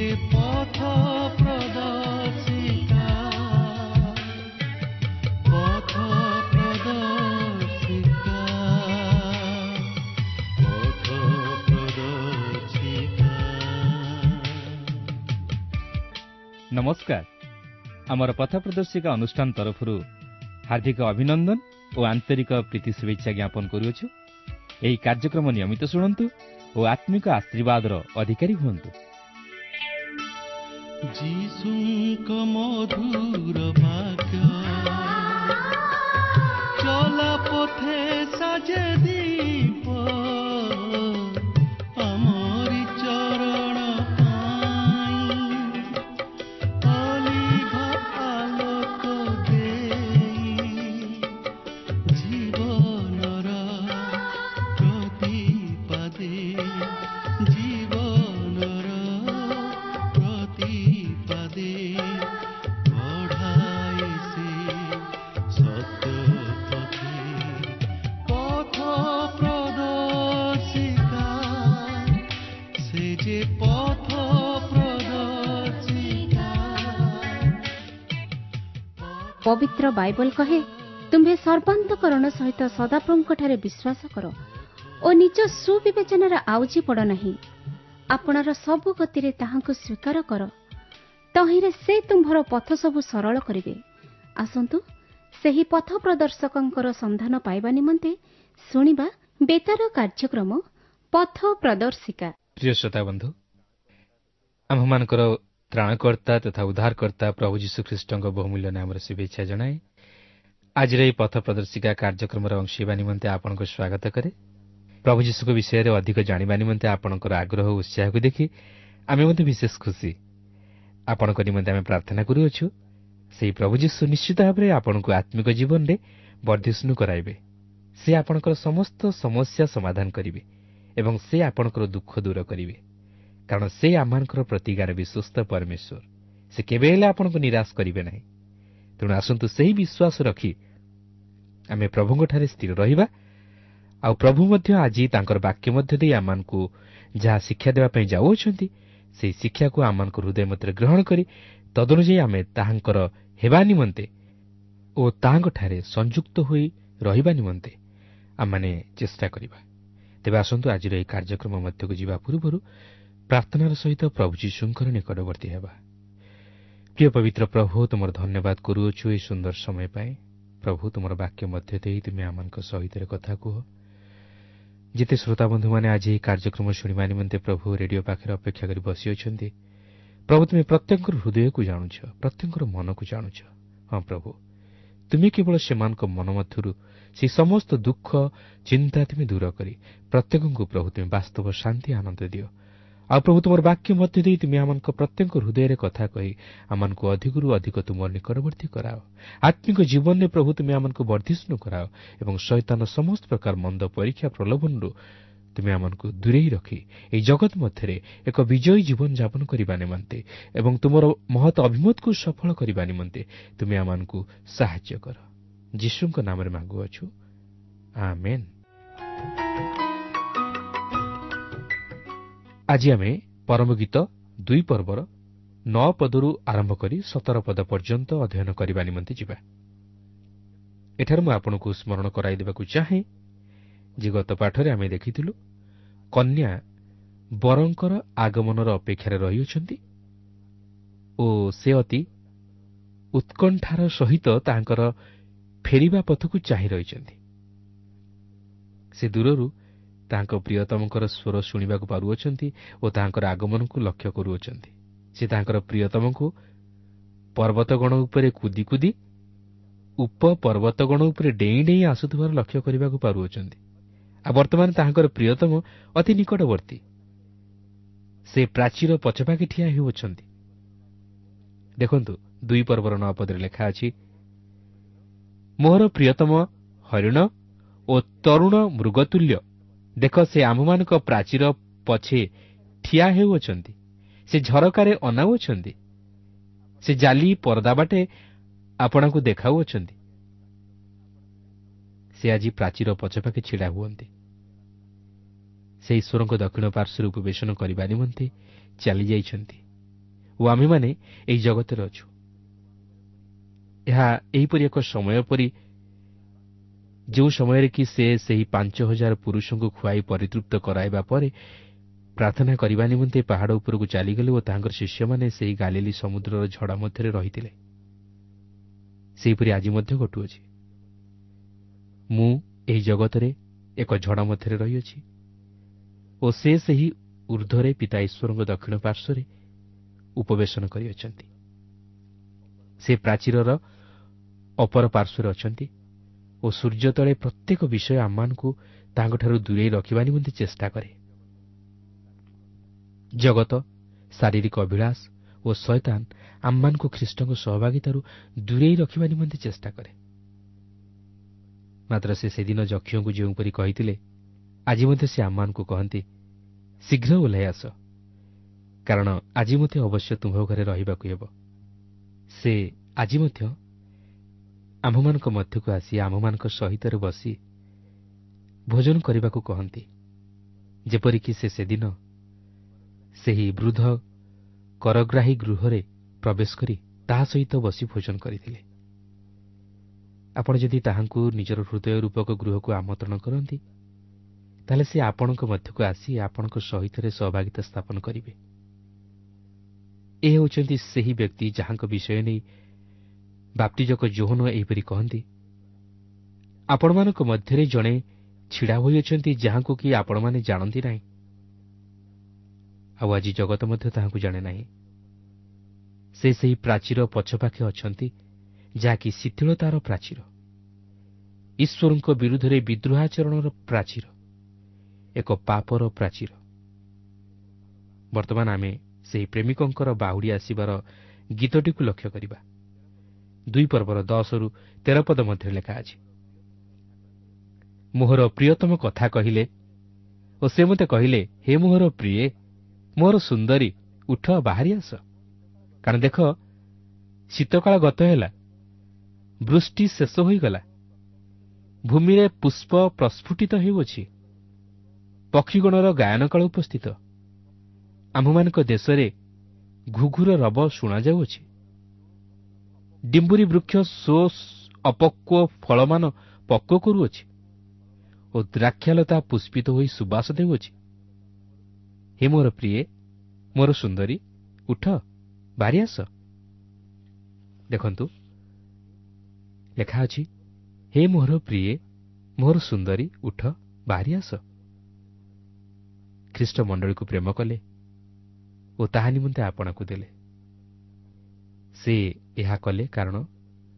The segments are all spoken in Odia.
ଯେ ପଥ ପ୍ରଦର୍ଶିକା, ପଥ ପ୍ରଦର୍ଶିକା, ପଥ ପ୍ରଦର୍ଶିକା। ନମସ୍କାର। ଆମର ପଥ ପ୍ରଦର୍ଶିକା ଅନୁଷ୍ଠାନ ତରଫରୁ ହାର୍ଦ୍ଦିକ ଅଭିନନ୍ଦନ ଓ ଆନ୍ତରିକ ପ୍ରୀତି ଶୁଭେଚ୍ଛା ଜ୍ଞାପନ କରୁଅଛୁ। ଏହି କାର୍ଯ୍ୟକ୍ରମ ନିୟମିତ ଶୁଣନ୍ତୁ ଓ ଆତ୍ମିକ ଆଶୀର୍ବାଦର ଅଧିକାରୀ ହୁଅନ୍ତୁ। ଯୀଶୁଙ୍କ ମଧୁର ବାକ୍ୟ ଚଲା ପଥେ ସାଜେ ଦୀପ, ଆମରି ଚରଣ ପାଇଁ ଅଲିଭା ଆଲୋକ ଦେଇ, ଜୀବନର ପ୍ରତିପାଦେ, ଜୀବନର ପ୍ରତିପାଦେ ବଢ଼ାଏ ସେ ସତ୍ୟ ପଥେ। ପଥ ପ୍ରଦର୍ଶିକା, ସେ ଯେ ପଥ ପ୍ରଦର୍ଶିକା। ପବିତ୍ର ବାଇବଲ କହେ, ତୁମ୍ଭେ ସର୍ବାନ୍ତକରଣ ସହିତ ସଦାପ୍ରଭୁଙ୍କଠାରେ ବିଶ୍ୱାସ କର ଓ ନିଜ ସୁବିବେଚନାରେ ଆଉଜି ପଡ଼ ନାହିଁ। ଆପଣାର ସବୁ ଗତିରେ ତାହାଙ୍କୁ ସ୍ୱୀକାର କର, ତହିଁରେ ସେ ତୁମ୍ଭର ପଥ ସବୁ ସରଳ କରିବେ। ଆସନ୍ତୁ ସେହି ପଥ ପ୍ରଦର୍ଶକଙ୍କର ସନ୍ଧାନ ପାଇବା ନିମନ୍ତେ ଶୁଣିବା ବେତାର କାର୍ଯ୍ୟକ୍ରମ ପଥ ପ୍ରଦର୍ଶିକା। ପ୍ରିୟ ଶ୍ରୋତା ବନ୍ଧୁ, ଆମ୍ଭମାନଙ୍କର ତ୍ରାଣକର୍ତ୍ତା ତଥା ଉଦ୍ଧାରକର୍ତ୍ତା ପ୍ରଭୁ ଯୀଶୁଖ୍ରୀଷ୍ଟଙ୍କ ବହୁମୂଲ୍ୟ ନାମରେ ଶୁଭେଚ୍ଛା ଜଣାଏ ଆଜିର ଏହି ପଥ ପ୍ରଦର୍ଶିକା କାର୍ଯ୍ୟକ୍ରମର ଅଂଶ ହେବା ନିମନ୍ତେ ଆପଣଙ୍କୁ ସ୍ୱାଗତ କରେ। ପ୍ରଭୁ ଯୀଶୁଙ୍କ ବିଷୟରେ ଅଧିକ ଜାଣିବା ନିମନ୍ତେ ଆପଣଙ୍କର ଆଗ୍ରହ ଓ ଉତ୍ସାହକୁ ଦେଖି ଆମେ ମଧ୍ୟ ବିଶେଷ ଖୁସି। ଆପଣଙ୍କ ନିମନ୍ତେ ଆମେ ପ୍ରାର୍ଥନା କରୁଅଛୁ, ସେହି ପ୍ରଭୁ ଯୀଶୁ ନିଶ୍ଚିତ ଭାବରେ ଆପଣଙ୍କୁ ଆତ୍ମିକ ଜୀବନରେ ବର୍ଦ୍ଧିଷ୍ଣୁ କରାଇବେ। ସେ ଆପଣଙ୍କର ସମସ୍ତ ସମସ୍ୟା ସମାଧାନ କରିବେ ଏବଂ ସେ ଆପଣଙ୍କର ଦୁଃଖ ଦୂର କରିବେ, କାରଣ ସେ ଆମମାନଙ୍କର ପ୍ରତିଜ୍ଞାର ବିଶ୍ୱସ୍ତ ପରମେଶ୍ୱର। ସେ କେବେ ହେଲେ ଆପଣଙ୍କୁ ନିରାଶ କରିବେ ନାହିଁ। ତେଣୁ ଆସନ୍ତୁ ସେହି ବିଶ୍ୱାସ ରଖି ଆମେ ପ୍ରଭୁଙ୍କଠାରେ ସ୍ଥିର ରହିବା, ଆଉ ପ୍ରଭୁ ମଧ୍ୟ ଆଜି ତାଙ୍କର ବାକ୍ୟ ମଧ୍ୟ ଦେଇ ଆମମାନଙ୍କୁ ଯାହା ଶିକ୍ଷା ଦେବା ପାଇଁ ଯାଉଅଛନ୍ତି, ସେହି ଶିକ୍ଷାକୁ ଆମମାନଙ୍କ ହୃଦୟ ମଧ୍ୟରେ ଗ୍ରହଣ କରି ତଦନୁଯାୟୀ ଆମେ ତାହାଙ୍କର ହେବା ନିମନ୍ତେ ଓ ତାହାଙ୍କଠାରେ ସଂଯୁକ୍ତ ହୋଇ ରହିବା ନିମନ୍ତେ ଆମମାନେ ଚେଷ୍ଟା କରିବା। ତେବେ ଆସନ୍ତୁ ଆଜିର ଏହି କାର୍ଯ୍ୟକ୍ରମ ମଧ୍ୟକୁ ଯିବା ପୂର୍ବରୁ ପ୍ରାର୍ଥନାର ସହିତ ପ୍ରଭୁ ଯୀଶୁଙ୍କର ନିକଟବର୍ତ୍ତୀ ହେବା। ପ୍ରିୟ ପବିତ୍ର ପ୍ରଭୁ, ତୁମର ଧନ୍ୟବାଦ କରୁଅଛୁ ଏହି ସୁନ୍ଦର ସମୟ ପାଇଁ। ପ୍ରଭୁ, ତୁମର ବାକ୍ୟ ମଧ୍ୟ ଦେଇ ତୁମେ ଆମମାନଙ୍କ ସହିତ କଥା କୁହ। ଯେତେ ଶ୍ରୋତାବନ୍ଧୁମାନେ ଆଜି ଏହି କାର୍ଯ୍ୟକ୍ରମ ଶୁଣିବା ନିମନ୍ତେ ପ୍ରଭୁ ରେଡିଓ ପାଖରେ ଅପେକ୍ଷା କରି ବସିଅଛନ୍ତି, ପ୍ରଭୁ ତୁମେ ପ୍ରତ୍ୟେକଙ୍କର ହୃଦୟକୁ ଜାଣୁଛ, ପ୍ରତ୍ୟେକଙ୍କର ମନକୁ ଜାଣୁଛ। ହଁ ପ୍ରଭୁ, ତୁମେ କେବଳ ସେମାନଙ୍କ ମନ ମଧ୍ୟରୁ ସେହି ସମସ୍ତ ଦୁଃଖ ଚିନ୍ତା ତୁମେ ଦୂର କରି ପ୍ରତ୍ୟେକଙ୍କୁ ପ୍ରଭୁ ତୁମେ ବାସ୍ତବ ଶାନ୍ତି ଆନନ୍ଦ ଦିଅ। ଆଉ ପ୍ରଭୁ, ତୁମର ବାକ୍ୟ ମଧ୍ୟ ଦେଇ ତୁମେ ଆମମାନଙ୍କ ପ୍ରତ୍ୟେକ ହୃଦୟରେ କଥା କହି ଆମମାନଙ୍କୁ ଅଧିକରୁ ଅଧିକ ତୁମର ନିକଟବର୍ତ୍ତୀ କରାଅ। ଆତ୍ମିକ ଜୀବନରେ ପ୍ରଭୁ ତୁମେ ଆମମାନଙ୍କୁ ବର୍ଦ୍ଧିଷ୍ଣୁ କରାଅ ଏବଂ ଶୈତାନ ସମସ୍ତ ପ୍ରକାର ମନ୍ଦ ପରୀକ୍ଷା ପ୍ରଲୋଭନରୁ ତୁମେ ଆମମାନଙ୍କୁ ଦୂରେଇ ରଖି ଏହି ଜଗତ ମଧ୍ୟରେ ଏକ ବିଜୟୀ ଜୀବନ ଯାପନ କରିବା ନିମନ୍ତେ ଏବଂ ତୁମର ମହତ ଅଭିମତକୁ ସଫଳ କରିବା ନିମନ୍ତେ ତୁମେ ଆମମାନଙ୍କୁ ସାହାଯ୍ୟ କର। ଯୀଶୁଙ୍କ ନାମରେ ମାଗୁଅଛୁ, ଆମେନ୍। ଆଜି ଆମେ ପରମଗୀତ 2 ପର୍ବର 9 ପଦରୁ ଆରମ୍ଭ କରି 17 ପଦ ପର୍ଯ୍ୟନ୍ତ ଅଧ୍ୟୟନ କରିବା ନିମନ୍ତେ ଯିବା। ଏଠାରେ ମୁଁ ଆପଣଙ୍କୁ ସ୍ମରଣ କରାଇ ଦେବାକୁ ଚାହେଁ ଯେ ଗତ ପାଠରେ ଆମେ ଦେଖିଥିଲୁ କନ୍ୟା ବରଙ୍କର ଆଗମନର ଅପେକ୍ଷାରେ ରହିଅଛନ୍ତି ଓ ସେ ଅତି ଉତ୍କଣ୍ଠାର ସହିତ ତାଙ୍କର ଫେରିବା ପଥକୁ ଚାହିଁ ରହିଛନ୍ତି। ସେ ଦୂରରୁ ତାଙ୍କ ପ୍ରିୟତମଙ୍କର ସ୍ୱର ଶୁଣିବାକୁ ପାରୁଅଛନ୍ତି ଓ ତାଙ୍କର ଆଗମନକୁ ଲକ୍ଷ୍ୟ କରୁଅଛନ୍ତି। ସେ ତାଙ୍କର ପ୍ରିୟତମଙ୍କୁ ପର୍ବତଗଣ ଉପରେ କୁଦି କୁଦି ଉପପର୍ବତଗଣ ଉପରେ ଡେଇଁ ଡେଇଁ ଆସୁଥିବାର ଲକ୍ଷ୍ୟ କରିବାକୁ ପାରୁଅଛନ୍ତି। ଆଉ ବର୍ତ୍ତମାନ ତାହାଙ୍କର ପ୍ରିୟତମ ଅତି ନିକଟବର୍ତ୍ତୀ, ସେ ପ୍ରାଚୀର ପଛପାଖେ ଠିଆ ହେଉଅଛନ୍ତି। ଦେଖନ୍ତୁ 2 ପର୍ବର 9 ପଦରେ ଲେଖା ଅଛି, ମୋହର ପ୍ରିୟତମ ହରିଣ ଓ ତରୁଣ ମୃଗତୁଲ୍ୟ, ଦେଖ ସେ ଆମ୍ଭମାନଙ୍କ ପ୍ରାଚୀର ପଛେ ଠିଆ ହେଉଅଛନ୍ତି, ସେ ଝରକାରେ ଅନାଉଅଛନ୍ତି, ସେ ଜାଲି ପରଦା ବାଟେ ଆପଣଙ୍କୁ ଦେଖାଉଅଛନ୍ତି। ସେ ଆଜି ପ୍ରାଚୀର ପଛପାଖେ ଛିଡ଼ା ହୁଅନ୍ତି। ସେ ଈଶ୍ୱରଙ୍କ ଦକ୍ଷିଣ ପାର୍ଶ୍ୱରେ ଉପବେଶନ କରିବା ନିମନ୍ତେ ଚାଲିଯାଇଛନ୍ତି। ଓ ଆମ୍ଭେମାନେ ଏହି ଜଗତରେ ଅଛୁ। ଏହା ଏହିପରି ଏକ ସମୟ ପରି ଯେଉଁ ସମୟରେ କି ସେ ସେହି 5000 ପୁରୁଷଙ୍କୁ ଖୁଆଇ ପରିତୃପ୍ତ କରାଇବା ପରେ ପ୍ରାର୍ଥନା କରିବା ନିମନ୍ତେ ପାହାଡ଼ ଉପରକୁ ଚାଲିଗଲେ ଓ ତାହାଙ୍କର ଶିଷ୍ୟମାନେ ସେହି ଗାଲିଲି ସମୁଦ୍ରର ଝଡ଼ ମଧ୍ୟରେ ରହିଥିଲେ। ସେହିପରି ଆଜି ମଧ୍ୟ ଘଟୁଅଛି। ମୁଁ ଏହି ଜଗତରେ ଏକ ଝଡ଼ ମଧ୍ୟରେ ରହିଅଛି ଓ ସେ ସେହି ଉର୍ଦ୍ଧ୍ୱରେ ପିତା ଈଶ୍ୱରଙ୍କ ଦକ୍ଷିଣ ପାର୍ଶ୍ୱରେ ଉପବେଶନ କରିଅଛନ୍ତି। ସେ ପ୍ରାଚୀରର ଅପର ପାର୍ଶ୍ୱରେ ଅଛନ୍ତି ଓ ସୂର୍ଯ୍ୟ ତଳେ ପ୍ରତ୍ୟେକ ବିଷୟ ଆମମାନଙ୍କୁ ତାଙ୍କଠାରୁ ଦୂରେଇ ରଖିବା ନିମନ୍ତେ ଚେଷ୍ଟା କରେ। ଜଗତ, ଶାରୀରିକ ଅଭିଳାଷ ଓ ଶୟତାନ ଆମମାନଙ୍କୁ ଖ୍ରୀଷ୍ଟଙ୍କ ସହଭାଗିତାରୁ ଦୂରେଇ ରଖିବା ନିମନ୍ତେ ଚେଷ୍ଟା କରେ। ମାତ୍ର ସେ ସେଦିନ ଯକ୍ଷଙ୍କୁ ଯେଉଁପରି କହିଥିଲେ, ଆଜି ମଧ୍ୟ ସେ ଆମମାନଙ୍କୁ କହନ୍ତି, ଶୀଘ୍ର ଓହ୍ଲାଇ ଆସ, କାରଣ ଆଜି ମଧ୍ୟ ଅବଶ୍ୟ ତୁମ୍ଭ ଘରେ ରହିବାକୁ ହେବ। ସେ ଆଜି ମଧ୍ୟ ଆମ୍ଭମାନଙ୍କ ମଧ୍ୟକୁ ଆସି ଆମ୍ଭମାନଙ୍କ ସହିତ ବସି ଭୋଜନ କରିବାକୁ କହନ୍ତି, ଯେପରିକି ସେ ସେଦିନ ସେହି ବୃଦ୍ଧ କରଗ୍ରାହୀ ଗୃହରେ ପ୍ରବେଶ କରି ତାହା ସହିତ ବସି ଭୋଜନ କରିଥିଲେ। ଆପଣ ଯଦି ତାହାଙ୍କୁ ନିଜର ହୃଦୟ ରୂପକ ଗୃହକୁ ଆମନ୍ତ୍ରଣ କରନ୍ତି, ତାହେଲେ ସେ ଆପଣଙ୍କ ମଧ୍ୟକୁ ଆସି ଆପଣଙ୍କ ସହିତ ସହଭାଗିତା ସ୍ଥାପନ କରିବେ। ଏ ହେଉଛନ୍ତି ସେହି ବ୍ୟକ୍ତି ଯାହାଙ୍କ ବିଷୟ ନେଇ ବାପ୍ତିଜକ ଯୋହନ ଏହିପରି କହନ୍ତି, ଆପଣମାନଙ୍କ ମଧ୍ୟରେ ଜଣେ ଛିଡ଼ା ହୋଇଅଛନ୍ତି ଯାହାଙ୍କୁ କି ଆପଣମାନେ ଜାଣନ୍ତି ନାହିଁ, ଆଉ ଆଜି ଜଗତ ମଧ୍ୟ ତାହାଙ୍କୁ ଜାଣେ ନାହିଁ। ସେ ସେହି ପ୍ରାଚୀର ପଛପାଖେ ଅଛନ୍ତି ଯାହାକି ଶିଥିଳତାର ପ୍ରାଚୀର, ଈଶ୍ୱରଙ୍କ ବିରୁଦ୍ଧରେ ବିଦ୍ରୋହାଚରଣର ପ୍ରାଚୀର, ଏକ ପାପର ପ୍ରାଚୀର। ବର୍ତ୍ତମାନ ଆମେ ସେହି ପ୍ରେମିକଙ୍କର ବାହୁଡ଼ି ଆସିବାର ଗୀତଟିକୁ ଲକ୍ଷ୍ୟ କରିବା। 2 ପର୍ବର 10ରୁ 13 ପଦ ମଧ୍ୟରେ ଲେଖା ଅଛି, ମୋହର ପ୍ରିୟତମ କଥା କହିଲେ ଓ ସେ ମୋତେ କହିଲେ, ହେ ମୋହର ପ୍ରିୟେ, ମୋର ସୁନ୍ଦରୀ, ଉଠ ବାହାରି ଆସ, କାରଣ ଦେଖ ଶୀତକାଳ ଗତ ହେଲା, ବୃଷ୍ଟି ଶେଷ ହୋଇଗଲା, ଭୂମିରେ ପୁଷ୍ପ ପ୍ରସ୍ଫୁଟିତ ହେଉଅଛି, ପକ୍ଷୀଗଣର ଗାୟନକାଳ ଉପସ୍ଥିତ, ଆମ୍ଭମାନଙ୍କ ଦେଶରେ ଘୁଘୁର ରବ ଶୁଣାଯାଉଅଛି, ଡିମ୍ବୁରି ବୃକ୍ଷ ସ୍ୱ ଅପକ୍ୱ ଫଳମାନ ପକ୍ୱ କରୁଅଛି ଓ ଦ୍ରାକ୍ଷାଲତା ପୁଷ୍ପିତ ହୋଇ ସୁବାସ ଦେଉଅଛି। ହେ ମୋର ପ୍ରିୟେ, ମୋର ସୁନ୍ଦରୀ, ଉଠ ବାହାରି ଆସ। ଦେଖନ୍ତୁ ଲେଖା ଅଛି, ହେ ମୋହର ପ୍ରିୟେ, ମୋର ସୁନ୍ଦରୀ, ଉଠ ବାହାରି ଆସ। ଖ୍ରୀଷ୍ଟ ମଣ୍ଡଳୀକୁ ପ୍ରେମ କଲେ ଓ ତାହା ନିମନ୍ତେ ଆପଣାକୁ ଦେଲେ। ସେ ଏହା କଲେ କାରଣ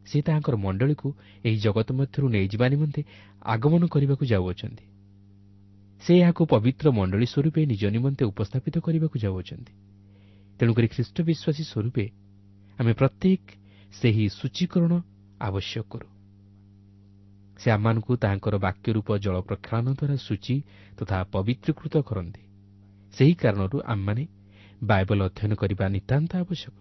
ସେ ତାହାଙ୍କର ମଣ୍ଡଳୀକୁ ଏହି ଜଗତ ମଧ୍ୟରୁ ନେଇଯିବା ନିମନ୍ତେ ଆଗମନ କରିବାକୁ ଯାଉଅଛନ୍ତି। ସେ ଏହାକୁ ପବିତ୍ର ମଣ୍ଡଳୀ ସ୍ୱରୂପେ ନିଜ ନିମନ୍ତେ ଉପସ୍ଥାପିତ କରିବାକୁ ଯାଉଅଛନ୍ତି। ତେଣୁକରି ଖ୍ରୀଷ୍ଟ ବିଶ୍ୱାସୀ ସ୍ୱରୂପେ ଆମେ ପ୍ରତ୍ୟେକ ସେହି ସୂଚୀକରଣ ଆବଶ୍ୟକ କରୁ। ସେ ଆମମାନଙ୍କୁ ତାହାଙ୍କର ବାକ୍ୟ ରୂପ ଜଳ ପ୍ରକ୍ଷାଳନ ଦ୍ୱାରା ସୂଚୀ ତଥା ପବିତ୍ରୀକୃତ କରନ୍ତି। ସେହି କାରଣରୁ ଆମେମାନେ ବାଇବଲ ଅଧ୍ୟୟନ କରିବା ନିତାନ୍ତ ଆବଶ୍ୟକ।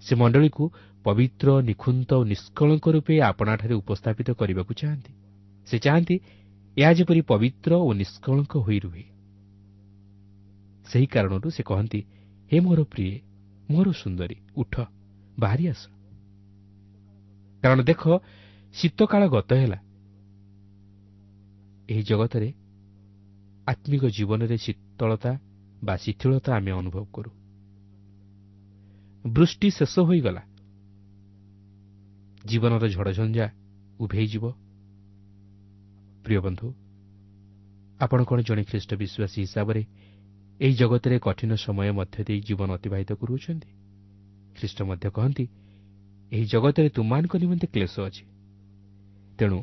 ସେ ମଣ୍ଡଳୀକୁ ପବିତ୍ର, ନିଖୁନ୍ତ ଓ ନିଷ୍କଳଙ୍କ ରୂପେ ଆପଣାଠାରେ ଉପସ୍ଥାପିତ କରିବାକୁ ଚାହାନ୍ତି। ସେ ଚାହାନ୍ତି ଏହା ଯେପରି ପବିତ୍ର ଓ ନିଷ୍କଳଙ୍କ ହୋଇ ରୁହେ। ସେହି କାରଣରୁ ସେ କହନ୍ତି, ହେ ମୋର ପ୍ରିୟେ, ମୋର ସୁନ୍ଦରୀ, ଉଠ ବାହାରି ଆସ, କାରଣ ଦେଖ ଶୀତକାଳ ଗତ ହେଲା। ଏହି ଜଗତରେ ଆତ୍ମିକ ଜୀବନରେ ଶୀତଳତା ବା ଶିଥିଳତା ଆମେ ଅନୁଭବ କରୁ। ବୃଷ୍ଟି ଶେଷ ହୋଇଗଲା, ଜୀବନର ଝଡ଼ଝଞ୍ଜା ଉଭେଇଯିବ। ପ୍ରିୟ ବନ୍ଧୁ, ଆପଣ କ'ଣ ଜଣେ ଖ୍ରୀଷ୍ଟ ବିଶ୍ୱାସୀ ହିସାବରେ ଏହି ଜଗତରେ କଠିନ ସମୟ ମଧ୍ୟ ଦେଇ ଜୀବନ ଅତିବାହିତ କରୁଅଛନ୍ତି? ଖ୍ରୀଷ୍ଟ ମଧ୍ୟ କହନ୍ତି, ଏହି ଜଗତରେ ତୁମମାନଙ୍କ ନିମନ୍ତେ କ୍ଲେଶ ଅଛି। ତେଣୁ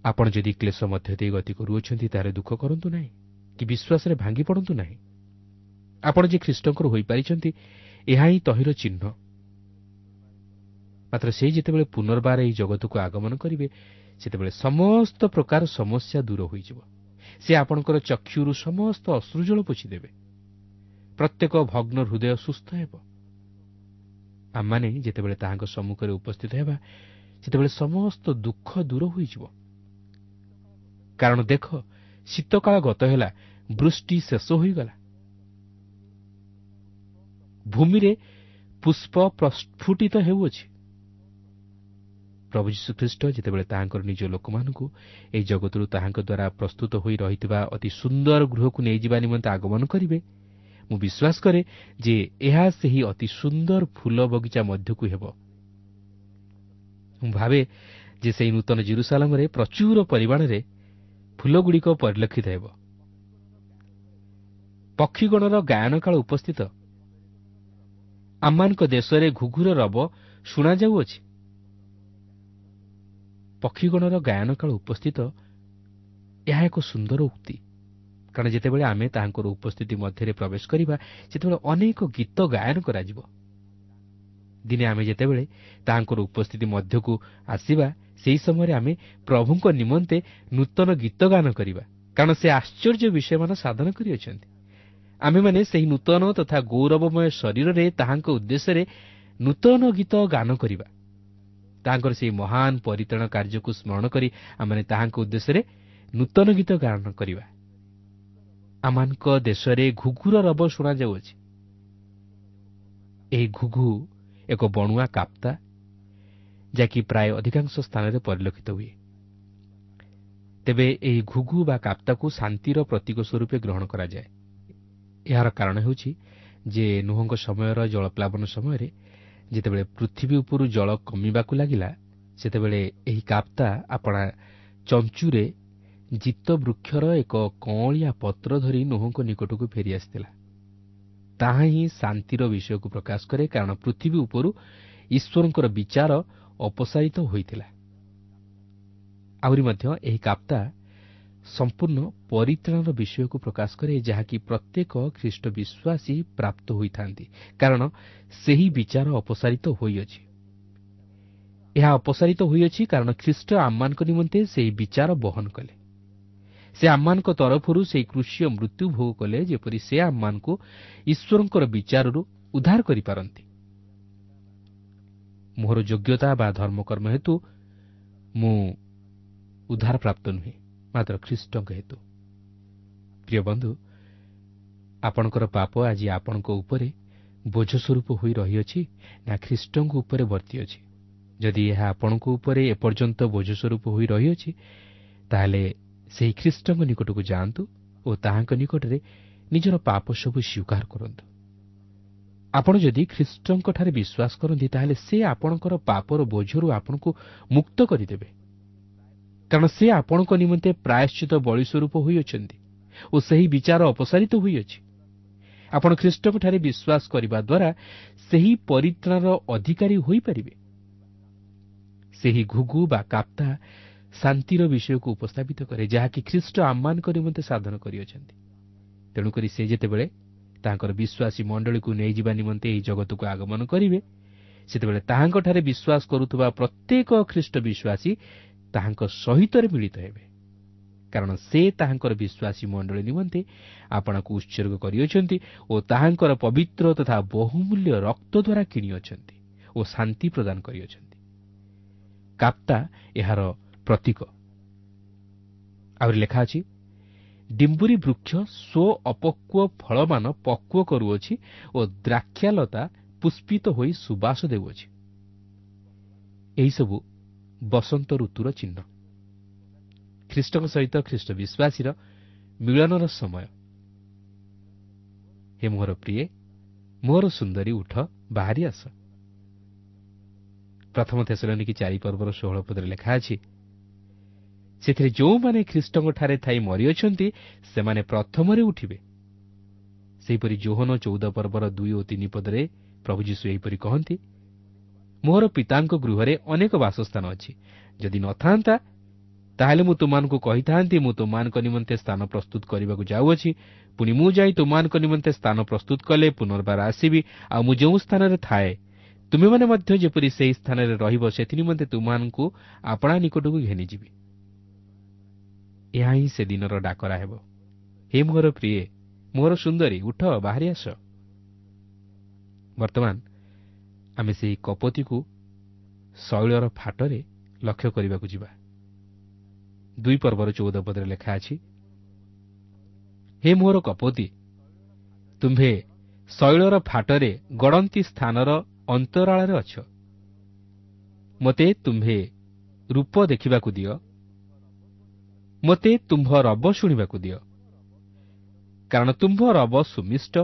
ଆପଣ ଯଦି କ୍ଲେଶ ମଧ୍ୟ ଦେଇ ଗତି କରୁଅଛନ୍ତି, ତାହେଲେ ଦୁଃଖ କରନ୍ତୁ ନାହିଁ କି ବିଶ୍ୱାସରେ ଭାଙ୍ଗି ପଡ଼ନ୍ତୁ ନାହିଁ। ଆପଣ ଯେ ଖ୍ରୀଷ୍ଟଙ୍କର ହୋଇପାରିଛନ୍ତି, ଏହା ହିଁ ତହିଁର ଚିହ୍ନ। ମାତ୍ର ସେ ଯେତେବେଳେ ପୁନର୍ବାର ଏହି ଜଗତକୁ ଆଗମନ କରିବେ, ସେତେବେଳେ ସମସ୍ତ ପ୍ରକାର ସମସ୍ୟା ଦୂର ହୋଇଯିବ। ସେ ଆପଣଙ୍କର ଚକ୍ଷୁରୁ ସମସ୍ତ ଅଶ୍ରୁଜଳ ପୋଛିଦେବେ। ପ୍ରତ୍ୟେକ ଭଗ୍ନ ହୃଦୟ ସୁସ୍ଥ ହେବ। ଆମମାନେ ଯେତେବେଳେ ତାହାଙ୍କ ସମ୍ମୁଖରେ ଉପସ୍ଥିତ ହେବା, ସେତେବେଳେ ସମସ୍ତ ଦୁଃଖ ଦୂର ହୋଇଯିବ। କାରଣ ଦେଖ ଶୀତକାଳ ଗତ ହେଲା, ବୃଷ୍ଟି ଶେଷ ହୋଇଗଲା। ଭୂମିରେ ପୁଷ୍ପ ପ୍ରସ୍ଫୁଟିତ ହେଉଅଛି। ପ୍ରଭୁ ଯୀଶୁଖ୍ରୀଷ୍ଟ ଯେତେବେଳେ ତାହାଙ୍କର ନିଜ ଲୋକମାନଙ୍କୁ ଏହି ଜଗତରୁ ତାହାଙ୍କ ଦ୍ୱାରା ପ୍ରସ୍ତୁତ ହୋଇ ରହିଥିବା ଅତି ସୁନ୍ଦର ଗୃହକୁ ନେଇଯିବା ନିମନ୍ତେ ଆଗମନ କରିବେ, ମୁଁ ବିଶ୍ୱାସ କରେ ଯେ ଏହା ସେହି ଅତି ସୁନ୍ଦର ଫୁଲ ବଗିଚା ମଧ୍ୟକୁ ହେବ। ମୁଁ ଭାବେ ଯେ ସେହି ନୂତନ ଜିରୁସାଲାମରେ ପ୍ରଚୁର ପରିମାଣରେ ଫୁଲଗୁଡ଼ିକ ପରିଲକ୍ଷିତ ହେବ। ପକ୍ଷୀଗଣର ଗାୟନକାଳ ଉପସ୍ଥିତ। ଆମମାନଙ୍କ ଦେଶରେ ଘୁଘୁର ରବ ଶୁଣାଯାଉଅଛି। ପକ୍ଷୀଗଣର ଗାୟନକାଳ ଉପସ୍ଥିତ, ଏହା ଏକ ସୁନ୍ଦର ଉକ୍ତି, କାରଣ ଯେତେବେଳେ ଆମେ ତାହାଙ୍କର ଉପସ୍ଥିତି ମଧ୍ୟରେ ପ୍ରବେଶ କରିବା, ସେତେବେଳେ ଅନେକ ଗୀତ ଗାୟନ କରାଯିବ। ଦିନେ ଆମେ ଯେତେବେଳେ ତାହାଙ୍କର ଉପସ୍ଥିତି ମଧ୍ୟକୁ ଆସିବା, ସେହି ସମୟରେ ଆମେ ପ୍ରଭୁଙ୍କ ନିମନ୍ତେ ନୂତନ ଗୀତ ଗାନ କରିବା, କାରଣ ସେ ଆଶ୍ଚର୍ଯ୍ୟ ବିଷୟମାନ ସାଧନ କରିଅଛନ୍ତି। ଆମେମାନେ ସେହି ନୂତନ ତଥା ଗୌରବମୟ ଶରୀରରେ ତାହାଙ୍କ ଉଦ୍ଦେଶ୍ୟରେ ନୂତନ ଗୀତ ଗାନ କରିବା। ତାହାଙ୍କର ସେହି ମହାନ ପରିତ୍ରାଣ କାର୍ଯ୍ୟକୁ ସ୍ମରଣ କରି ଆମେମାନେ ତାହାଙ୍କ ଉଦ୍ଦେଶ୍ୟରେ ନୂତନ ଗୀତ ଗାନ କରିବା। ଆମମାନଙ୍କ ଦେଶରେ ଘୁଘୁର ରବ ଶୁଣାଯାଉଅଛି। ଏହି ଘୁଘୁ ଏକ ବଣୁଆ କାପ୍ତା, ଯାହାକି ପ୍ରାୟ ଅଧିକାଂଶ ସ୍ଥାନରେ ପରିଲକ୍ଷିତ ହୁଏ। ତେବେ ଏହି ଘୁଘୁ ବା କାପ୍ତାକୁ ଶାନ୍ତିର ପ୍ରତୀକ ସ୍ୱରୂପେ ଗ୍ରହଣ କରାଯାଏ। ଏହାର କାରଣ ହେଉଛି ଯେ ନୁହଙ୍କ ସମୟର ଜଳପ୍ଲାବନ ସମୟରେ ଯେତେବେଳେ ପୃଥିବୀ ଉପରୁ ଜଳ କମିବାକୁ ଲାଗିଲା, ସେତେବେଳେ ଏହି କାପ୍ତା ଆପଣା ଚଞ୍ଚୁରେ ଜିତ ବୃକ୍ଷର ଏକ କଅଁଳିଆ ପତ୍ର ଧରି ନୋହଙ୍କ ନିକଟକୁ ଫେରିଆସିଥିଲା। ତାହା ହିଁ ଶାନ୍ତିର ବିଷୟକୁ ପ୍ରକାଶ କରେ, କାରଣ ପୃଥିବୀ ଉପରୁ ଈଶ୍ୱରଙ୍କର ବିଚାର ଅପସାରିତ ହୋଇଥିଲା। ଆହୁରି ମଧ୍ୟ ଏହି କାପ୍ତା ସମ୍ପୂର୍ଣ୍ଣ ପରିତ୍ରାଣର ବିଷୟକୁ ପ୍ରକାଶ କରେ, ଯାହାକି ପ୍ରତ୍ୟେକ ଖ୍ରୀଷ୍ଟ ବିଶ୍ୱାସୀ ପ୍ରାପ୍ତ ହୋଇଥାନ୍ତି, କାରଣ ସେହି ବିଚାର ଅପସାରିତ ହୋଇଅଛି। ଏହା ଅପସାରିତ ହୋଇଅଛି କାରଣ ଖ୍ରୀଷ୍ଟ ଆମମାନଙ୍କ ନିମନ୍ତେ ସେହି ବିଚାର ବହନ କଲେ। ସେ ଆମମାନଙ୍କ ତରଫରୁ ସେହି କୃଷୀୟ ମୃତ୍ୟୁ ଭୋଗ କଲେ, ଯେପରି ସେ ଆମମାନଙ୍କୁ ଈଶ୍ୱରଙ୍କର ବିଚାରରୁ ଉଦ୍ଧାର କରିପାରନ୍ତି। ମୋର ଯୋଗ୍ୟତା ବା ଧର୍ମକର୍ମ ହେତୁ ମୁଁ ଉଦ୍ଧାର ପ୍ରାପ୍ତ ନୁହେଁ, ମାତ୍ର ଖ୍ରୀଷ୍ଟଙ୍କ ହେତୁ। ପ୍ରିୟ ବନ୍ଧୁ, ଆପଣଙ୍କର ପାପ ଆଜି ଆପଣଙ୍କ ଉପରେ ବୋଝ ସ୍ୱରୂପ ହୋଇ ରହିଅଛି ନା ଖ୍ରୀଷ୍ଟଙ୍କ ଉପରେ ବର୍ତ୍ତିଅଛି? ଯଦି ଏହା ଆପଣଙ୍କ ଉପରେ ଏପର୍ଯ୍ୟନ୍ତ ବୋଝ ସ୍ୱରୂପ ହୋଇ ରହିଅଛି, ତାହେଲେ ସେହି ଖ୍ରୀଷ୍ଟଙ୍କ ନିକଟକୁ ଯାଆନ୍ତୁ ଓ ତାହାଙ୍କ ନିକଟରେ ନିଜର ପାପ ସବୁ ସ୍ୱୀକାର କରନ୍ତୁ। ଆପଣ ଯଦି ଖ୍ରୀଷ୍ଟଙ୍କଠାରେ ବିଶ୍ୱାସ କରନ୍ତି, ତାହେଲେ ସେ ଆପଣଙ୍କର ପାପର ବୋଝରୁ ଆପଣଙ୍କୁ ମୁକ୍ତ କରିଦେବେ, କାରଣ ସେ ଆପଣଙ୍କ ନିମନ୍ତେ ପ୍ରାୟଶ୍ଚିତ ବଳି ସ୍ୱରୂପ ହୋଇଅଛନ୍ତି ଓ ସେହି ବିଚାର ଅପସାରିତ ହୋଇଅଛି। ଆପଣ ଖ୍ରୀଷ୍ଟଙ୍କଠାରେ ବିଶ୍ୱାସ କରିବା ଦ୍ୱାରା ସେହି ପରିତ୍ରାଣର ଅଧିକାରୀ ହୋଇପାରିବେ। ସେହି ଘୁଘୁ ବା କାପ୍ତା ଶାନ୍ତିର ବିଷୟକୁ ଉପସ୍ଥାପିତ କରେ, ଯାହାକି ଖ୍ରୀଷ୍ଟ ଆମମାନଙ୍କ ନିମନ୍ତେ ସାଧନ କରିଅଛନ୍ତି। ତେଣୁକରି ସେ ଯେତେବେଳେ ତାଙ୍କର ବିଶ୍ୱାସୀ ମଣ୍ଡଳୀକୁ ନେଇଯିବା ନିମନ୍ତେ ଏହି ଜଗତକୁ ଆଗମନ କରିବେ, ସେତେବେଳେ ତାହାଙ୍କଠାରେ ବିଶ୍ୱାସ କରୁଥିବା ପ୍ରତ୍ୟେକ ଖ୍ରୀଷ୍ଟ ବିଶ୍ୱାସୀ ତାହାଙ୍କ ସହିତରେ ମିଳିତ ହେବେ, କାରଣ ସେ ତାହାଙ୍କର ବିଶ୍ୱାସୀ ମଣ୍ଡଳୀ ନିମନ୍ତେ ଆପଣଙ୍କୁ ଉତ୍ସର୍ଗ କରିଅଛନ୍ତି ଓ ତାହାଙ୍କର ପବିତ୍ର ତଥା ବହୁମୂଲ୍ୟ ରକ୍ତ ଦ୍ୱାରା କିଣିଅଛନ୍ତି ଓ ଶାନ୍ତି ପ୍ରଦାନ କରିଅଛନ୍ତି। କାପ୍ତା ଏହାର ପ୍ରତୀକ। ଆହୁରି ଲେଖା ଅଛି, ଡିମ୍ବୁରି ବୃକ୍ଷ ସ୍ୱ ଅପକ୍ୱ ଫଳମାନ ପକ୍ୱ କରୁଅଛି ଓ ଦ୍ରାକ୍ଷାଲତା ପୁଷ୍ପିତ ହୋଇ ସୁବାସ ଦେଉଅଛି। ଏହିସବୁ ବସନ୍ତ ଋତୁର ଚିହ୍ନ। ଖ୍ରୀଷ୍ଟଙ୍କ ସହିତ ଖ୍ରୀଷ୍ଟ ବିଶ୍ୱାସୀର ମିଳନର ସମୟ। ହେ ମୋହର ପ୍ରିୟେ, ମୋର ସୁନ୍ଦରୀ, ଉଠ, ବାହାରି ଆସ। ପ୍ରଥମ ଥେସଲନୀକି 4 ପର୍ବର 16 ପଦରେ ଲେଖା ଅଛି, ସେଥିରେ ଯେଉଁମାନେ ଖ୍ରୀଷ୍ଟଙ୍କଠାରେ ଥାଇ ମରିଅଛନ୍ତି, ସେମାନେ ପ୍ରଥମରେ ଉଠିବେ। ସେହିପରି ଯୋହନ 14 ପର୍ବର 2 ଓ 3 ପଦରେ ପ୍ରଭୁ ଯୀଶୁ ଏହିପରି କହନ୍ତି, ମୋର ପିତାଙ୍କ ଗୃହରେ ଅନେକ ବାସସ୍ଥାନ ଅଛି, ଯଦି ନଥାନ୍ତା ତାହେଲେ ମୁଁ ତୁମମାନଙ୍କୁ କହିଥାନ୍ତି, ମୁଁ ତୁମମାନଙ୍କ ନିମନ୍ତେ ସ୍ଥାନ ପ୍ରସ୍ତୁତ କରିବାକୁ ଯାଉଅଛି। ପୁଣି ମୁଁ ଯାଇ ତୁମମାନଙ୍କ ନିମନ୍ତେ ସ୍ଥାନ ପ୍ରସ୍ତୁତ କଲେ ପୁନର୍ବାର ଆସିବି, ଆଉ ମୁଁ ଯେଉଁ ସ୍ଥାନରେ ଥାଏ ତୁମେମାନେ ମଧ୍ୟ ଯେପରି ସେହି ସ୍ଥାନରେ ରହିବ, ସେଥି ନିମନ୍ତେ ତୁମମାନଙ୍କୁ ଆପଣା ନିକଟକୁ ଘେନିଯିବି। ଏହା ହିଁ ସେଦିନର ଡାକରା ହେବ, ହେ ମୋର ପ୍ରିୟେ, ମୋର ସୁନ୍ଦରୀ, ଉଠ, ବାହାରି ଆସ। ବର୍ତ୍ତମାନ ଆମେ ସେହି କପତିକୁ ଶୈଳର ଫାଟରେ ଲକ୍ଷ୍ୟ କରିବାକୁ ଯିବା। 2 ପର୍ବର 14 ପଦରେ ଲେଖା ଅଛି, ହେ ମୋର କପତି, ତୁମ୍ଭେ ଶୈଳର ଫାଟରେ ଗଡ଼ନ୍ତି ସ୍ଥାନର ଅନ୍ତରାଳରେ ଅଛ। ମୋତେ ତୁମ୍ଭେ ରୂପ ଦେଖିବାକୁ ଦିଅ, ମୋତେ ତୁମ୍ଭ ରବ ଶୁଣିବାକୁ ଦିଅ, କାରଣ ତୁମ୍ଭ ରବ ସୁମିଷ୍ଟ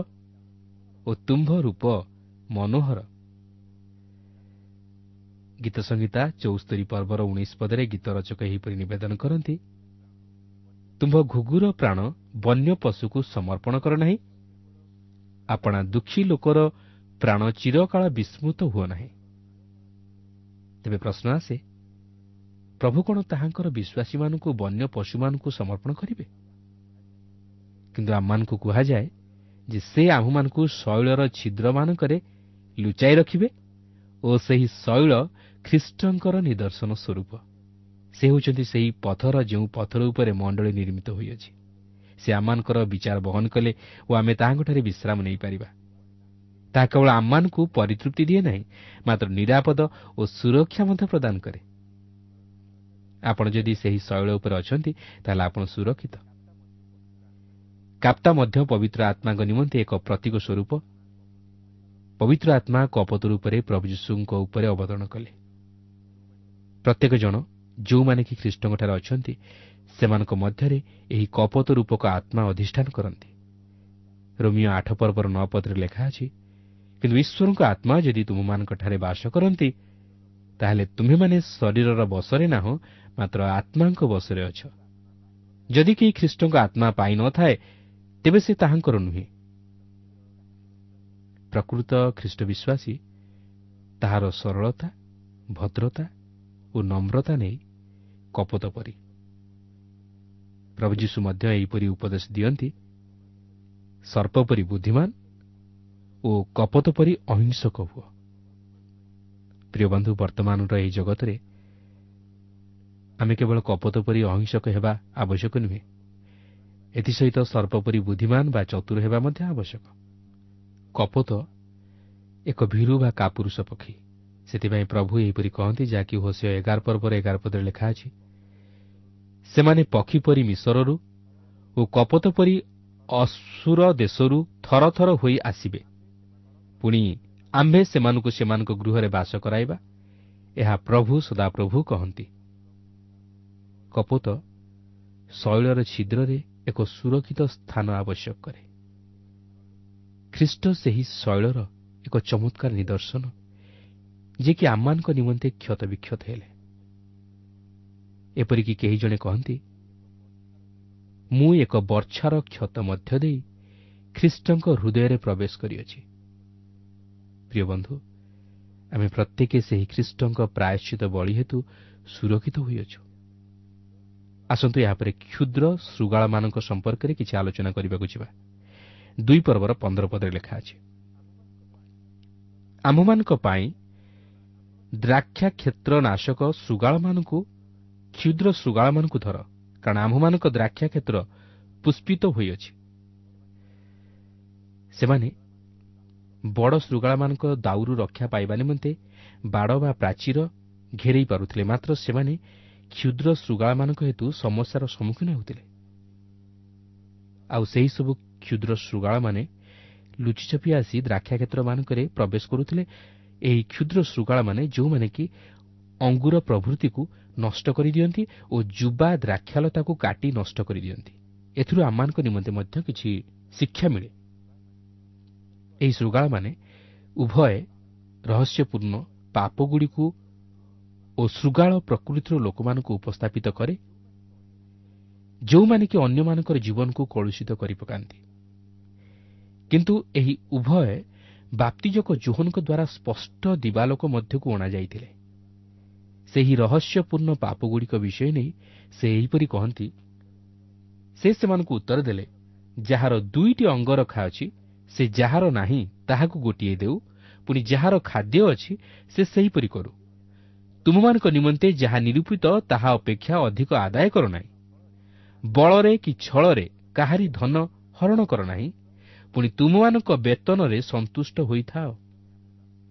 ଓ ତୁମ୍ଭ ରୂପ ମନୋହର। ଗୀତ ସଂହିତା 74 ପର୍ବର 19 ପଦରେ ଗୀତ ରଚକ ଏହିପରି ନିବେଦନ କରନ୍ତି, ତୁମ୍ଭ ଘୁଘୁର ପ୍ରାଣ ବନ୍ୟ ପଶୁକୁ ସମର୍ପଣ କର ନାହିଁ, ଆପଣା ଦୁଃଖୀ ଲୋକର ପ୍ରାଣ ଚିରକାଳ ବିସ୍ମୃତ ହୁଅ ନାହିଁ। ତେବେ ପ୍ରଶ୍ନ ଆସେ, ପ୍ରଭୁ କ'ଣ ତାହାଙ୍କର ବିଶ୍ୱାସୀମାନଙ୍କୁ ବନ୍ୟ ପଶୁମାନଙ୍କୁ ସମର୍ପଣ କରିବେ? କିନ୍ତୁ ଆମମାନଙ୍କୁ କୁହାଯାଏ ଯେ ସେ ଆମ୍ଭମାନଙ୍କୁ ଶୈଳର ଛିଦ୍ରମାନଙ୍କରେ ଲୁଚାଇ ରଖିବେ ଓ ସେହି ଶୈଳ ଖ୍ରୀଷ୍ଟଙ୍କର ନିଦର୍ଶନ ସ୍ୱରୂପ। ସେ ହେଉଛନ୍ତି ସେହି ପଥର ଯେଉଁ ପଥର ଉପରେ ମଣ୍ଡଳୀ ନିର୍ମିତ ହୋଇଅଛି। ସେ ଆମମାନଙ୍କର ବିଚାର ବହନ କଲେ ଓ ଆମେ ତାହାଙ୍କଠାରେ ବିଶ୍ରାମ ନେଇପାରିବା। ତାହା କେବଳ ଆମମାନଙ୍କୁ ପରିତୃପ୍ତି ଦିଏ ନାହିଁ, ମାତ୍ର ନିରାପଦ ଓ ସୁରକ୍ଷା ମଧ୍ୟ ପ୍ରଦାନ କରେ। ଆପଣ ଯଦି ସେହି ଶୈଳ ଉପରେ ଅଛନ୍ତି, ତାହେଲେ ଆପଣ ସୁରକ୍ଷିତ। କାପ୍ତା ମଧ୍ୟ ପବିତ୍ର ଆତ୍ମାଙ୍କ ନିମନ୍ତେ ଏକ ପ୍ରତୀକ ସ୍ୱରୂପ। ପବିତ୍ର ଆତ୍ମା କପୋତ ରୂପରେ ପ୍ରଭୁ ଯୀଶୁଙ୍କ ଉପରେ ଅବତରଣ କଲେ। ପ୍ରତ୍ୟେକ ଜଣ ଯେଉଁମାନେ କି ଖ୍ରୀଷ୍ଟଙ୍କଠାରେ ଅଛନ୍ତି, ସେମାନଙ୍କ ମଧ୍ୟରେ ଏହି କପୋତ ରୂପକ ଆତ୍ମା ଅଧିଷ୍ଠାନ କରନ୍ତି। ରୋମିଓ 8 ପର୍ବର 9 ପଦରେ ଲେଖା ଅଛି, କିନ୍ତୁ ଈଶ୍ୱରଙ୍କ ଆତ୍ମା ଯଦି ତୁମମାନଙ୍କଠାରେ ବାସ କରନ୍ତି, ତାହେଲେ ତୁମ୍ଭେମାନେ ଶରୀରର ବଶରେ ନାହଁ, ମାତ୍ର ଆତ୍ମାଙ୍କ ବଶରେ ଅଛ। ଯଦି କେହି ଖ୍ରୀଷ୍ଟଙ୍କ ଆତ୍ମା ପାଇନଥାଏ, ତେବେ ସେ ତାହାଙ୍କର ନୁହେଁ। ପ୍ରକୃତ ଖ୍ରୀଷ୍ଟ ବିଶ୍ୱାସୀ ତାହାର ସରଳତା, ଭଦ୍ରତା ଓ ନମ୍ରତା ନେଇ କପୋତ ପରି। ପ୍ରଭୁ ଯୀଶୁ ମଧ୍ୟ ଏହିପରି ଉପଦେଶ ଦିଅନ୍ତି, ସର୍ପ ପରି ବୁଦ୍ଧିମାନ ଓ କପୋତ ପରି ଅହିଂସକ ହୁଅ। ପ୍ରିୟ ବନ୍ଧୁ, ବର୍ତ୍ତମାନର ଏହି ଜଗତରେ ଆମେ କେବଳ କପୋତ ପରି ଅହିଂସକ ହେବା ଆବଶ୍ୟକ ନୁହେଁ, ଏଥିସହିତ ସର୍ପ ପରି ବୁଦ୍ଧିମାନ ବା ଚତୁର ହେବା ମଧ୍ୟ ଆବଶ୍ୟକ। କପୋତ ଏକ ଭୀରୁ ବା କାପୁରୁଷ ପକ୍ଷୀ। ସେଥିପାଇଁ ପ୍ରଭୁ ଏହିପରି କହନ୍ତି, ଯାହାକି ହୋଶେୟ 11 ପର୍ବର 11 ପଦରେ ଲେଖା ଅଛି, ସେମାନେ ପକ୍ଷୀ ପରି ମିଶରରୁ ଓ କପୋତ ପରି ଅଶୂର ଦେଶରୁ ଥର ଥର ହୋଇ ଆସିବେ, ପୁଣି ଆମ୍ଭେ ସେମାନଙ୍କୁ ସେମାନଙ୍କ ଗୃହରେ ବାସ କରାଇବା, ଏହା ପ୍ରଭୁ ସଦାପ୍ରଭୁ କହନ୍ତି। କପୋତ ଶୈଳର ଛିଦ୍ରରେ ଏକ ସୁରକ୍ଷିତ ସ୍ଥାନ ଆବଶ୍ୟକ କରେ। ଖ୍ରୀଷ୍ଟ ସେହି ଶୈଳର ଏକ ଚମତ୍କାର ନିଦର୍ଶନ, ଯିଏକି ଆମମାନଙ୍କ ନିମନ୍ତେ କ୍ଷତବିକ୍ଷତ ହେଲେ। ଏପରିକି କେହି ଜଣେ କହନ୍ତି, ମୁଁ ଏକ ବର୍ଚ୍ଛାର କ୍ଷତ ମଧ୍ୟ ଦେଇ ଖ୍ରୀଷ୍ଟଙ୍କ ହୃଦୟରେ ପ୍ରବେଶ କରିଅଛି। ପ୍ରିୟ ବନ୍ଧୁ, ଆମେ ପ୍ରତ୍ୟେକ ସେହି ଖ୍ରୀଷ୍ଟଙ୍କ ପ୍ରାୟଶ୍ଚିତ ବଳି ହେତୁ ସୁରକ୍ଷିତ ହୋଇଅଛୁ। ଆସନ୍ତୁ ଏହାପରେ କ୍ଷୁଦ୍ର ଶୃଗାଳମାନଙ୍କ ସମ୍ପର୍କରେ କିଛି ଆଲୋଚନା କରିବାକୁ ଯିବା। 2 ପର୍ବର 15 ପଦରେ ଲେଖା ଅଛି, ଆମ୍ଭମାନଙ୍କ ପାଇଁ ଦ୍ରାକ୍ଷା କ୍ଷେତ୍ର ନାଶକ ଶୃଗାଳମାନଙ୍କୁ, କ୍ଷୁଦ୍ର ଶୃଗାଳମାନଙ୍କୁ ଧର, କାରଣ ଆମ୍ଭମାନଙ୍କ ଦ୍ରାକ୍ଷା କ୍ଷେତ୍ର ପୁଷ୍ପିତ ହୋଇଅଛି। ସେମାନେ ବଡ଼ ଶୃଗାଳମାନଙ୍କ ଦାଉରୁ ରକ୍ଷା ପାଇବା ନିମନ୍ତେ ବାଡ଼ ବା ପ୍ରାଚୀର ଘେରେଇ ପାରୁଥିଲେ, ମାତ୍ର ସେମାନେ କ୍ଷୁଦ୍ର ଶୃଗାଳମାନଙ୍କ ହେତୁ ସମସ୍ୟାର ସମ୍ମୁଖୀନ ହେଉଥିଲେ। ଆଉ ସେହିସବୁ କ୍ଷୁଦ୍ର ଶୃଗାଳମାନେ ଲୁଚିଛପି ଆସି ଦ୍ରାକ୍ଷା କ୍ଷେତ୍ରମାନଙ୍କରେ ପ୍ରବେଶ କରୁଥିଲେ। ଏହି କ୍ଷୁଦ୍ର ଶୃଗାଳମାନେ ଯେଉଁମାନେ କି ଅଙ୍ଗୁର ପ୍ରଭୃତିକୁ ନଷ୍ଟ କରିଦିଅନ୍ତି ଓ ଯୁବା ଦ୍ରାକ୍ଷାଲତାକୁ କାଟି ନଷ୍ଟ କରିଦିଅନ୍ତି। ଏଥିରୁ ଆମମାନଙ୍କ ନିମନ୍ତେ ମଧ୍ୟ କିଛି ଶିକ୍ଷା ମିଳେ। ଏହି ଶୃଗାଳମାନେ ଉଭୟ ରହସ୍ୟପୂର୍ଣ୍ଣ ପାପଗୁଡ଼ିକୁ ଓ ଶୃଗାଳ ପ୍ରକୃତିର ଲୋକମାନଙ୍କୁ ଉପସ୍ଥାପିତ କରେ, ଯେଉଁମାନେ କି ଅନ୍ୟମାନଙ୍କର ଜୀବନକୁ କଳୁଷିତ କରିପକାନ୍ତି। କିନ୍ତୁ ଏହି ଉଭୟ ବାପ୍ତିଜକ ଯୋହନଙ୍କ ଦ୍ୱାରା ସ୍ପଷ୍ଟ ଦିବାଲୋକ ମଧ୍ୟକୁ ଅଣାଯାଇଥିଲେ। ସେହି ରହସ୍ୟପୂର୍ଣ୍ଣ ପାପଗୁଡ଼ିକ ବିଷୟ ନେଇ ସେ ଏହିପରି କହନ୍ତି, ସେ ସେମାନଙ୍କୁ ଉତ୍ତର ଦେଲେ, ଯାହାର 2ଟି ଅଙ୍ଗରଖା ଅଛି ସେ ଯାହାର ନାହିଁ ତାହାକୁ ଗୋଟିଏ ଦେଉ, ପୁଣି ଯାହାର ଖାଦ୍ୟ ଅଛି ସେ ସେହିପରି କରୁ। ତୁମମାନଙ୍କ ନିମନ୍ତେ ଯାହା ନିରୂପିତ ତାହା ଅପେକ୍ଷା ଅଧିକ ଆଦାୟ କର ନାହିଁ। ବଳରେ କି ଛଳରେ କାହାରି ଧନ ହରଣ କର ନାହିଁ, ପୁଣି ତୁମମାନଙ୍କ ବେତନରେ ସନ୍ତୁଷ୍ଟ ହୋଇଥାଅ।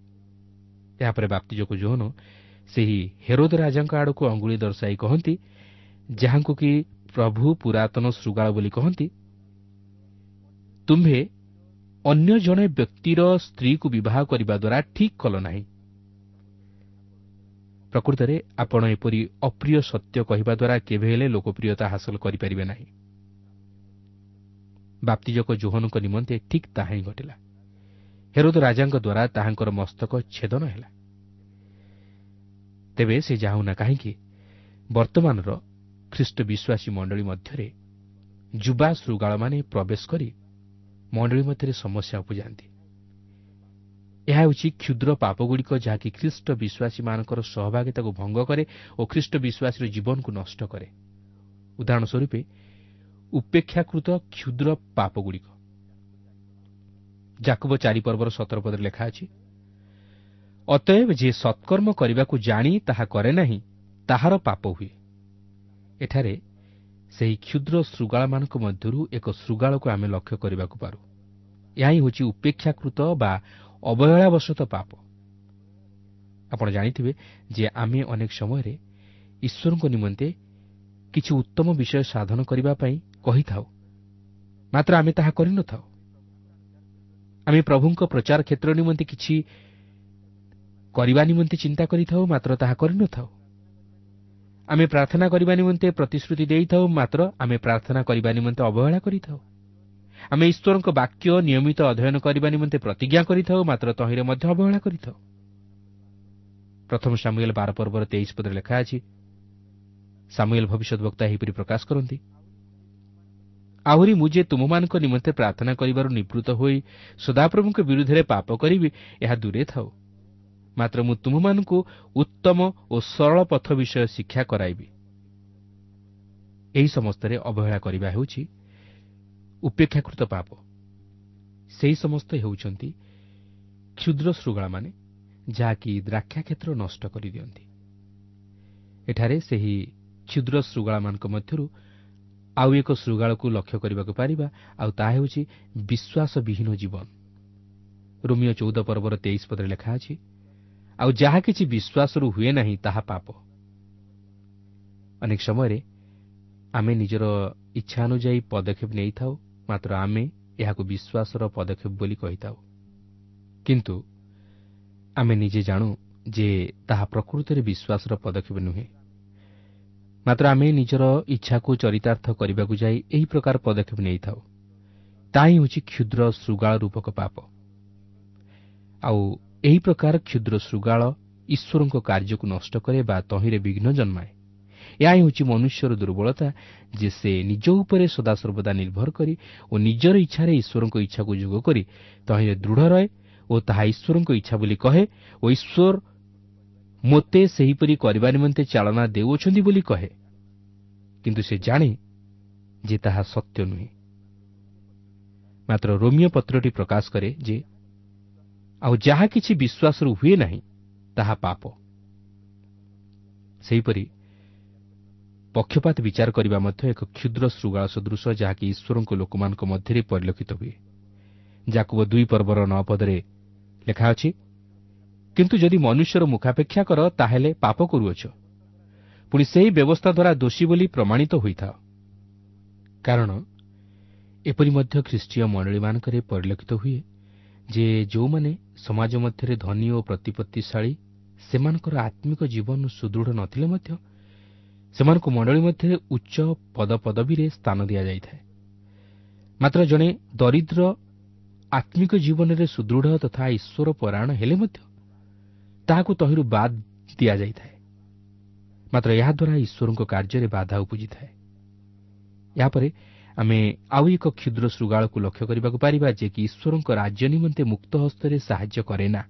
ଏହାପରେ ବାପ୍ତିଜକ ଯୋହନ ସେହି ହେରୋଦ ରାଜାଙ୍କ ଆଡ଼କୁ ଅଙ୍ଗୁଳି ଦର୍ଶାଇ କହନ୍ତି, ଯାହାଙ୍କୁ କି ପ୍ରଭୁ ପୁରାତନ ଶୃଗାଳ ବୋଲି କହନ୍ତି, ତୁମ୍ଭେ ଅନ୍ୟ ଜଣେ ବ୍ୟକ୍ତିର ସ୍ତ୍ରୀକୁ ବିବାହ କରିବା ଦ୍ୱାରା ଠିକ୍ କଲ ନାହିଁ। ପ୍ରକୃତରେ ଆପଣ ଏପରି ଅପ୍ରିୟ ସତ୍ୟ କହିବା ଦ୍ୱାରା କେବେ ହେଲେ ଲୋକପ୍ରିୟତା ହାସଲ କରିପାରିବେ ନାହିଁ। ବାପ୍ତିଜକ ଯୋହନଙ୍କ ନିମନ୍ତେ ଠିକ୍ ତାହା ହିଁ ଘଟିଲା। ହେରୋଦ ରାଜାଙ୍କ ଦ୍ୱାରା ତାହାଙ୍କର ମସ୍ତକ ଛେଦନ ହେଲା। ତେବେ ସେ ଯାଉନା କାହିଁକି, ବର୍ତ୍ତମାନର ଖ୍ରୀଷ୍ଟ ବିଶ୍ୱାସୀ ମଣ୍ଡଳୀ ମଧ୍ୟରେ ଯୁବା ଶୃଗାଳମାନେ ପ୍ରବେଶ କରି ମଣ୍ଡଳୀ ମଧ୍ୟରେ ସମସ୍ୟା ଉପୁଜାନ୍ତି। ଏହା ହେଉଛି କ୍ଷୁଦ୍ର ପାପଗୁଡ଼ିକ, ଯାହାକି ଖ୍ରୀଷ୍ଟ ବିଶ୍ୱାସୀମାନଙ୍କର ସହଭାଗିତାକୁ ଭଙ୍ଗ କରେ ଓ ଖ୍ରୀଷ୍ଟ ବିଶ୍ୱାସୀର ଜୀବନକୁ ନଷ୍ଟ କରେ। ଉଦାହରଣ ସ୍ୱରୂପ ଉପେକ୍ଷାକୃତ କ୍ଷୁଦ୍ର ପାପଗୁଡ଼ିକ। ଯାକୁବ 4 ପର୍ବର 17 ପଦରେ ଲେଖା ଅଛି, ଅତଏବ ଯିଏ ସତ୍କର୍ମ କରିବାକୁ ଜାଣି ତାହା କରେ ନାହିଁ, ତାହାର ପାପ ହୁଏ। ଏଠାରେ ସେହି କ୍ଷୁଦ୍ର ଶୃଗାଳମାନଙ୍କ ମଧ୍ୟରୁ ଏକ ଶୃଗାଳକୁ ଆମେ ଲକ୍ଷ୍ୟ କରିବାକୁ ପାରୁ। ଏହା ହିଁ ହେଉଛି ଉପେକ୍ଷାକୃତ ବା ଅବହେଳାବଶତ ପାପ। ଆପଣ ଜାଣିଥିବେ ଯେ ଆମେ ଅନେକ ସମୟରେ ଈଶ୍ୱରଙ୍କ ନିମନ୍ତେ କିଛି ଉତ୍ତମ ବିଷୟ ସାଧନ କରିବା ପାଇଁ କହିଥାଉ, ମାତ୍ର ଆମେ ତାହା କରିନଥାଉ। ଆମେ ପ୍ରଭୁଙ୍କ ପ୍ରଚାର କ୍ଷେତ୍ର ନିମନ୍ତେ କିଛି କରିବା ନିମନ୍ତେ ଚିନ୍ତା କରିଥାଉ, ମାତ୍ର ତାହା କରିନଥାଉ। ଆମେ ପ୍ରାର୍ଥନା କରିବା ନିମନ୍ତେ ପ୍ରତିଶ୍ରୁତି ଦେଇଥାଉ, ମାତ୍ର ଆମେ ପ୍ରାର୍ଥନା କରିବା ନିମନ୍ତେ ଅବହେଳା କରିଥାଉ। ଆମେ ଈଶ୍ୱରଙ୍କ ବାକ୍ୟ ନିୟମିତ ଅଧ୍ୟୟନ କରିବା ନିମନ୍ତେ ପ୍ରତିଜ୍ଞା କରିଥାଉ, ମାତ୍ର ତହିଁରେ ମଧ୍ୟ ଅବହେଳା କରିଥାଉ। ପ୍ରଥମ ସାମୁଏଲ 12 ପର୍ବର 23 ପଦରେ ଲେଖା ଅଛି, ସାମୁଏଲ ଭବିଷ୍ୟଦ୍‌ବକ୍ତା ଏହିପରି ପ୍ରକାଶ କରନ୍ତି, ଆହୁରି ମୁଁ ଯେ ତୁମମାନଙ୍କ ନିମନ୍ତେ ପ୍ରାର୍ଥନା କରିବାରୁ ନିବୃତ୍ତ ହୋଇ ସଦାପ୍ରଭୁଙ୍କ ବିରୁଦ୍ଧରେ ପାପ କରିବି, ଏହା ଦୂରେ ଥାଉ, ମାତ୍ର ମୁଁ ତୁମମାନଙ୍କୁ ଉତ୍ତମ ଓ ସରଳ ପଥ ବିଷୟ ଶିକ୍ଷା କରାଇବି। ଏହି ସମସ୍ତରେ ଅବହେଳା କରିବା ହେଉଛି ଉପେକ୍ଷାକୃତ ପାପ। ସେହି ସମସ୍ତ ହେଉଛନ୍ତି କ୍ଷୁଦ୍ର ଶୃଗାଳମାନେ, ଯାହାକି ଦ୍ରାକ୍ଷା କ୍ଷେତ୍ର ନଷ୍ଟ କରିଦିଅନ୍ତି। ଏଠାରେ ସେହି କ୍ଷୁଦ୍ର ଶୃଗାଳମାନଙ୍କ ମଧ୍ୟରୁ ଆଉ ଏକ ଶୃଗାଳକୁ ଲକ୍ଷ୍ୟ କରିବାକୁ ପାରିବା, ଆଉ ତାହା ହେଉଛି ବିଶ୍ୱାସବିହୀନ ଜୀବନ। ରୋମୀୟ 14 ପର୍ବର 23 ପଦରେ ଲେଖା ଅଛି, ଆଉ ଯାହା କିଛି ବିଶ୍ୱାସରୁ ହୁଏ ନାହିଁ ତାହା ପାପ। ଅନେକ ସମୟରେ ଆମେ ନିଜର ଇଚ୍ଛା ଅନୁଯାୟୀ ପଦକ୍ଷେପ ନେଇଥାଉ, ମାତ୍ର ଆମେ ଏହାକୁ ବିଶ୍ୱାସର ପଦକ୍ଷେପ ବୋଲି କହିଥାଉ। କିନ୍ତୁ ଆମେ ନିଜେ ଜାଣୁ ଯେ ତାହା ପ୍ରକୃତରେ ବିଶ୍ୱାସର ପଦକ୍ଷେପ ନୁହେଁ, ମାତ୍ର ଆମେ ନିଜର ଇଚ୍ଛାକୁ ଚରିତାର୍ଥ କରିବାକୁ ଯାଇ ଏହି ପ୍ରକାର ପଦକ୍ଷେପ ନେଇଥାଉ। ତାହା ହିଁ ହେଉଛି କ୍ଷୁଦ୍ର ଶୃଗାଳ ରୂପକ ପାପ। ଆଉ ଏହି ପ୍ରକାର କ୍ଷୁଦ୍ର ଶୃଗାଳ ଈଶ୍ୱରଙ୍କ କାର୍ଯ୍ୟକୁ ନଷ୍ଟ କରେ ବା ତହିଁରେ ବିଘ୍ନ ଜନ୍ମାଏ। ଏହା ହେଉଛି ମନୁଷ୍ୟର ଦୁର୍ବଳତା, ଯେ ସେ ନିଜ ଉପରେ ସଦାସର୍ବଦା ନିର୍ଭର କରି ଓ ନିଜର ଇଚ୍ଛାରେ ଈଶ୍ୱରଙ୍କ ଇଚ୍ଛାକୁ ଯୋଗ କରି ତହିଁରେ ଦୃଢ଼ ରହେ ଓ ତାହା ଈଶ୍ୱରଙ୍କ ଇଚ୍ଛା ବୋଲି କହେ ଓ ଈଶ୍ୱର ମୋତେ ସେହିପରି କରିବା ନିମନ୍ତେ ଚାଳନା ଦେଉଅଛନ୍ତି ବୋଲି କହେ, କିନ୍ତୁ ସେ ଜାଣେ ଯେ ତାହା ସତ୍ୟ ନୁହେଁ। ମାତ୍ର ରୋମୀୟ ପତ୍ରଟି ପ୍ରକାଶ କରେ ଯେ ଆଉ ଯାହା କିଛି ବିଶ୍ୱାସରୁ ହୁଏ ନାହିଁ ତାହା ପାପ। ସେହିପରି ପକ୍ଷପାତ ବିଚାର କରିବା ମଧ୍ୟ ଏକ କ୍ଷୁଦ୍ର ଶୃଗାଳ ସଦୃଶ, ଯାହାକି ଈଶ୍ୱରଙ୍କ ଲୋକମାନଙ୍କ ମଧ୍ୟରେ ପରିଲକ୍ଷିତ ହୁଏ। ଯାକୁବ 2 ପର୍ବର 9 ପଦରେ ଲେଖା ଅଛି, କିନ୍ତୁ ଯଦି ମନୁଷ୍ୟର ମୁଖାପେକ୍ଷା କର, ତାହେଲେ ପାପ କରୁଅଛ, ପୁଣି ସେହି ବ୍ୟବସ୍ଥା ଦ୍ୱାରା ଦୋଷୀ ବୋଲି ପ୍ରମାଣିତ ହୋଇଥାଅ। କାରଣ ଏପରି ମଧ୍ୟ ଖ୍ରୀଷ୍ଟୀୟ ମଣ୍ଡଳୀମାନଙ୍କରେ ପରିଲକ୍ଷିତ ହୁଏ ଯେ ଯେଉଁମାନେ ସମାଜ ମଧ୍ୟରେ ଧନୀ ଓ ପ୍ରତିପତ୍ତିଶାଳୀ, ସେମାନଙ୍କର ଆତ୍ମିକ ଜୀବନ ସୁଦୃଢ଼ ନଥିଲେ ମଧ୍ୟ ସେମାନଙ୍କୁ ମଣ୍ଡଳୀ ମଧ୍ୟରେ ଉଚ୍ଚ ପଦପଦବୀରେ ସ୍ଥାନ ଦିଆଯାଇଥାଏ। ମାତ୍ର ଜଣେ ଦରିଦ୍ର ଆତ୍ମିକ ଜୀବନରେ ସୁଦୃଢ଼ ତଥା ଈଶ୍ୱର ପରାୟଣ ହେଲେ ମଧ୍ୟ ତାହାକୁ ତହିଁରୁ ବାଦ୍ ଦିଆଯାଇଥାଏ। ମାତ୍ର ଏହାଦ୍ୱାରା ଈଶ୍ୱରଙ୍କ କାର୍ଯ୍ୟରେ ବାଧା ଉପୁଜିଥାଏ। ଏହାପରେ ଆମେ ଆଉ ଏକ କ୍ଷୁଦ୍ର ଶୃଗାଳକୁ ଲକ୍ଷ୍ୟ କରିବାକୁ ପାରିବା, ଯେ କି ଈଶ୍ୱରଙ୍କ ରାଜ୍ୟ ନିମନ୍ତେ ମୁକ୍ତ ହସ୍ତରେ ସାହାଯ୍ୟ କରେ ନା।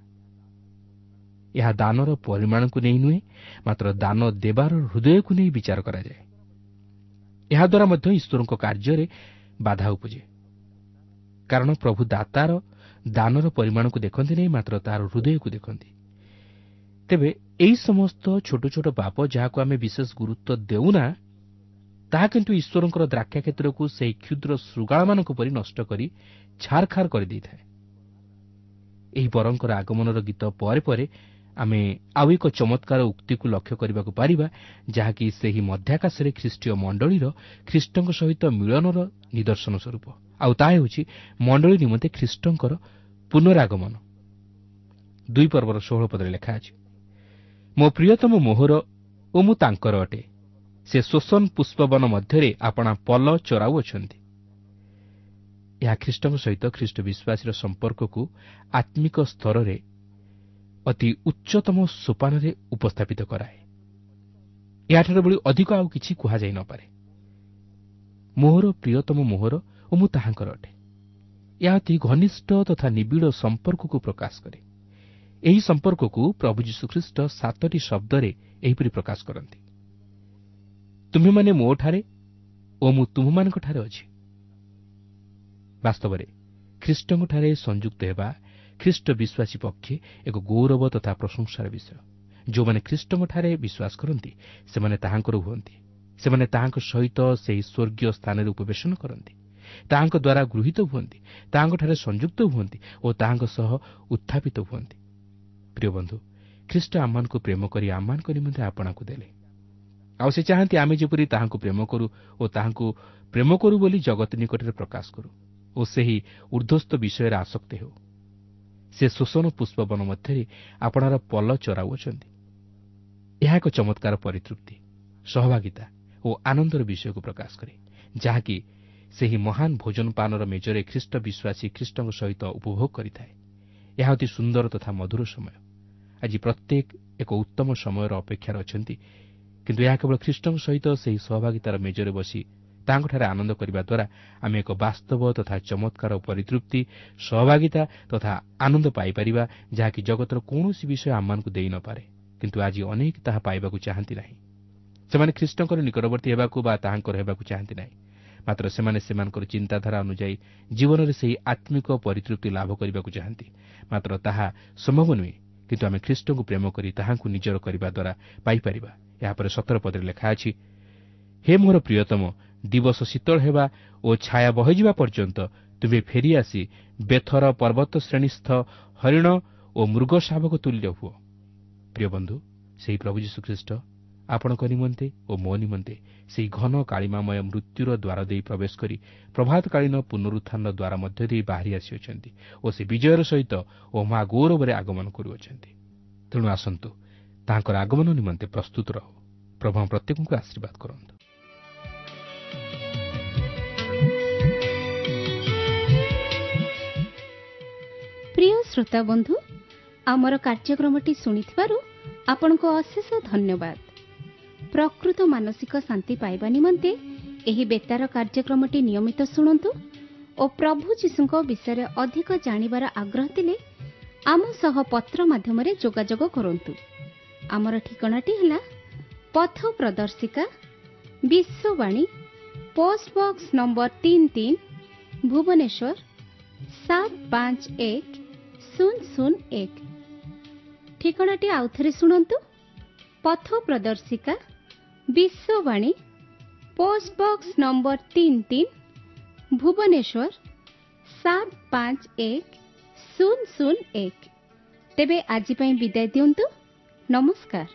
ଏହା ଦାନର ପରିମାଣକୁ ନେଇ ନୁହେଁ, ମାତ୍ର ଦାନ ଦେବାର ହୃଦୟକୁ ନେଇ ବିଚାର କରାଯାଏ। ଏହାଦ୍ୱାରା ମଧ୍ୟ ଈଶ୍ୱରଙ୍କ କାର୍ଯ୍ୟରେ ବାଧା ଉପୁଜେ, କାରଣ ପ୍ରଭୁ ଦାତାର ଦାନର ପରିମାଣକୁ ଦେଖନ୍ତି ନାହିଁ, ମାତ୍ର ତାହାର ହୃଦୟକୁ ଦେଖନ୍ତି। ତେବେ ଏହି ସମସ୍ତ ଛୋଟ ଛୋଟ ପାପ ଯାହାକୁ ଆମେ ବିଶେଷ ଗୁରୁତ୍ୱ ଦେଉନା, ତାହା କିନ୍ତୁ ଈଶ୍ୱରଙ୍କର ଦ୍ରାକ୍ଷା କ୍ଷେତ୍ରକୁ ସେହି କ୍ଷୁଦ୍ର ଶୃଗାଳମାନଙ୍କ ପରି ନଷ୍ଟ କରି ଛାରଖାର କରିଦେଇଥାଏ। ଏହି ବରଙ୍କର ଆଗମନର ଗୀତ ପରେ ପରେ ଆମେ ଆଉ ଏକ ଚମତ୍କାର ଉକ୍ତିକୁ ଲକ୍ଷ୍ୟ କରିବାକୁ ପାରିବା, ଯାହାକି ସେହି ମଧ୍ୟାକାଶରେ ଖ୍ରୀଷ୍ଟୀୟ ମଣ୍ଡଳୀର ଖ୍ରୀଷ୍ଟଙ୍କ ସହିତ ମିଳନର ନିଦର୍ଶନ ସ୍ୱରୂପ। ଆଉ ତାହା ହେଉଛି ମଣ୍ଡଳୀ ନିମନ୍ତେ ଖ୍ରୀଷ୍ଟଙ୍କର ପୁନରାଗମନ। 2 ପର୍ବର 16 ପଦରେ ଲେଖା ଅଛି, ମୋ ପ୍ରିୟତମ ମୋହର ଓ ମୁଁ ତାଙ୍କର ଅଟେ, ସେ ଶୋଷଣ ପୁଷ୍ପବନ ମଧ୍ୟରେ ଆପଣା ପଲ ଚରାଉଅଛନ୍ତି। ଏହା ଖ୍ରୀଷ୍ଟଙ୍କ ସହିତ ଖ୍ରୀଷ୍ଟ ବିଶ୍ୱାସୀର ସମ୍ପର୍କକୁ ଆତ୍ମିକ ସ୍ତରରେ ଅତି ଉଚ୍ଚତମ ସୋପାନରେ ଉପସ୍ଥାପିତ କରାଏ। ଏହାଠାରୁ ଭଳି ଅଧିକ ଆଉ କିଛି କୁହାଯାଇ ନପାରେ। ମୋହର ପ୍ରିୟତମ ମୋହର ଓ ମୁଁ ତାହାଙ୍କର ଅଟେ। ଏହା ଅତି ଘନିଷ୍ଠ ତଥା ନିବିଡ଼ ସମ୍ପର୍କକୁ ପ୍ରକାଶ କରେ। ଏହି ସମ୍ପର୍କକୁ ପ୍ରଭୁ ଯୀଶୁଖ୍ରୀଷ୍ଟ 7ଟି ଶବ୍ଦରେ ଏହିପରି ପ୍ରକାଶ କରନ୍ତି, ତୁମ୍ଭେମାନେ ମୋଠାରେ ଓ ମୁଁ ତୁମ୍ଭମାନଙ୍କଠାରେ ଅଛି। ବାସ୍ତବରେ ଖ୍ରୀଷ୍ଟଙ୍କଠାରେ ସଂଯୁକ୍ତ ହେବା ଖ୍ରୀଷ୍ଟ ବିଶ୍ୱାସୀ ପକ୍ଷେ ଏକ ଗୌରବ ତଥା ପ୍ରଶଂସାର ବିଷୟ। ଯେଉଁମାନେ ଖ୍ରୀଷ୍ଟଙ୍କଠାରେ ବିଶ୍ୱାସ କରନ୍ତି ସେମାନେ ତାହାଙ୍କର ହୁଅନ୍ତି। ସେମାନେ ତାହାଙ୍କ ସହିତ ସେହି ସ୍ୱର୍ଗୀୟ ସ୍ଥାନରେ ଉପବେଶନ କରନ୍ତି, ତାହାଙ୍କ ଦ୍ୱାରା ଗୃହୀତ ହୁଅନ୍ତି, ତାହାଙ୍କଠାରେ ସଂଯୁକ୍ତ ହୁଅନ୍ତି ଓ ତାହାଙ୍କ ସହ ଉତ୍ଥାପିତ ହୁଅନ୍ତି। ପ୍ରିୟ ବନ୍ଧୁ, ଖ୍ରୀଷ୍ଟ ଆମମାନଙ୍କୁ ପ୍ରେମ କରି ଆମମାନଙ୍କ ନିମନ୍ତେ ଆପଣାକୁ ଦେଲେ। ଆଉ ସେ ଚାହାନ୍ତି ଆମେ ଯେପରି ତାହାଙ୍କୁ ପ୍ରେମ କରୁ ଓ ତାହାଙ୍କୁ ପ୍ରେମ କରୁ ବୋଲି ଜଗତ ନିକଟରେ ପ୍ରକାଶ କରୁ ଓ ସେହି ଉର୍ଦ୍ଧ୍ୱସ୍ଥ ବିଷୟରେ ଆସକ୍ତ ହେଉ। ସେ ଶୋଷଣ ପୁଷ୍ପବନ ମଧ୍ୟରେ ଆପଣାର ପଲ ଚରାଉଅଛନ୍ତି। ଏହା ଏକ ଚମତ୍କାର ପରିତୃପ୍ତି, ସହଭାଗିତା ଓ ଆନନ୍ଦର ବିଷୟକୁ ପ୍ରକାଶ କରେ, ଯାହାକି ସେହି ମହାନ ଭୋଜନପାନର ମେଜରେ ଖ୍ରୀଷ୍ଟ ବିଶ୍ୱାସୀ ଖ୍ରୀଷ୍ଟଙ୍କ ସହିତ ଉପଭୋଗ କରିଥାଏ। ଏହା ଅତି ସୁନ୍ଦର ତଥା ମଧୁର ସମୟ। ଆଜି ପ୍ରତ୍ୟେକ ଏକ ଉତ୍ତମ ସମୟର ଅପେକ୍ଷାରେ ଅଛନ୍ତି, କିନ୍ତୁ ଏହା କେବଳ ଖ୍ରୀଷ୍ଟଙ୍କ ସହିତ ସେହି ସହଭାଗିତାର ମେଜରେ ବସି ତାଙ୍କଠାରେ ଆନନ୍ଦ କରିବା ଦ୍ୱାରା ଆମେ ଏକ ବାସ୍ତବ ତଥା ଚମତ୍କାର ପରିତୃପ୍ତି, ସହଭାଗିତା ତଥା ଆନନ୍ଦ ପାଇପାରିବା, ଯାହାକି ଜଗତର କୌଣସି ବିଷୟ ଆମମାନଙ୍କୁ ଦେଇନପାରେ। କିନ୍ତୁ ଆଜି ଅନେକ ତାହା ପାଇବାକୁ ଚାହାନ୍ତି ନାହିଁ। ସେମାନେ ଖ୍ରୀଷ୍ଟଙ୍କର ନିକଟବର୍ତ୍ତୀ ହେବାକୁ ବା ତାହାଙ୍କର ହେବାକୁ ଚାହାନ୍ତି ନାହିଁ। ମାତ୍ର ସେମାନେ ସେମାନଙ୍କର ଚିନ୍ତାଧାରା ଅନୁଯାୟୀ ଜୀବନରେ ସେହି ଆତ୍ମିକ ପରିତୃପ୍ତି ଲାଭ କରିବାକୁ ଚାହାନ୍ତି। ମାତ୍ର ତାହା ସମ୍ଭବ ନୁହେଁ, କିନ୍ତୁ ଆମେ ଖ୍ରୀଷ୍ଟଙ୍କୁ ପ୍ରେମ କରି ତାହାଙ୍କୁ ନିଜର କରିବା ଦ୍ୱାରା ପାଇପାରିବା। ଏହାପରେ 17 ପଦରେ ଲେଖା ଅଛି, ହେ ମୋର ପ୍ରିୟତମ, ଦିବସ ଶୀତଳ ହେବା ଓ ଛାୟା ବହିଯିବା ପର୍ଯ୍ୟନ୍ତ ତୁମେ ଫେରିଆସି ବେଥର ପର୍ବତ ଶ୍ରେଣୀସ୍ଥ ହରିଣ ଓ ମୃଗ ଶାବକ ତୁଲ୍ୟ ହୁଅ। ପ୍ରିୟ ବନ୍ଧୁ, ସେହି ପ୍ରଭୁ ଯୀଶୁଖ୍ରୀଷ୍ଟ ଆପଣଙ୍କ ନିମନ୍ତେ ଓ ମୋ ନିମନ୍ତେ ସେହି ଘନ କାଳିମାମୟ ମୃତ୍ୟୁର ଦ୍ୱାର ଦେଇ ପ୍ରବେଶ କରି ପ୍ରଭାତକାଳୀନ ପୁନରୁତ୍ଥାନର ଦ୍ୱାର ମଧ୍ୟ ଦେଇ ବାହାରି ଆସିଅଛନ୍ତି ଓ ସେ ବିଜୟର ସହିତ ଓ ମହା ଗୌରବରେ ଆଗମନ କରୁଅଛନ୍ତି। ତେଣୁ ଆସନ୍ତୁ ତାହାଙ୍କର ଆଗମନ ନିମନ୍ତେ ପ୍ରସ୍ତୁତ ରହୁ। ପ୍ରଭୁ ପ୍ରତ୍ୟେକଙ୍କୁ ଆଶୀର୍ବାଦ କରନ୍ତୁ। ପ୍ରିୟ ଶ୍ରୋତା ବନ୍ଧୁ, ଆମର କାର୍ଯ୍ୟକ୍ରମଟି ଶୁଣିଥିବାରୁ ଆପଣଙ୍କୁ ଅଶେଷ ଧନ୍ୟବାଦ। ପ୍ରକୃତ ମାନସିକ ଶାନ୍ତି ପାଇବା ନିମନ୍ତେ ଏହି ବେତାର କାର୍ଯ୍ୟକ୍ରମଟି ନିୟମିତ ଶୁଣନ୍ତୁ ଓ ପ୍ରଭୁ ଯୀଶୁଙ୍କ ବିଷୟରେ ଅଧିକ ଜାଣିବାର ଆଗ୍ରହ ଥିଲେ ଆମ ସହ ପତ୍ର ମାଧ୍ୟମରେ ଯୋଗାଯୋଗ କରନ୍ତୁ। ଆମର ଠିକଣାଟି ହେଲା ପଥ ପ୍ରଦର୍ଶିକା, Vishwavani, post box number 33, Bhubaneswar 751001। ଠିକଣାଟି ଆଉଥରେ ଶୁଣନ୍ତୁ, ପଥ ପ୍ରଦର୍ଶିକା, Vishwavani, post box number 33, Bhubaneswar 751001। ତେବେ ଆଜି ପାଇଁ ବିଦାୟ ଦିଅନ୍ତୁ। ନମସ୍କାର।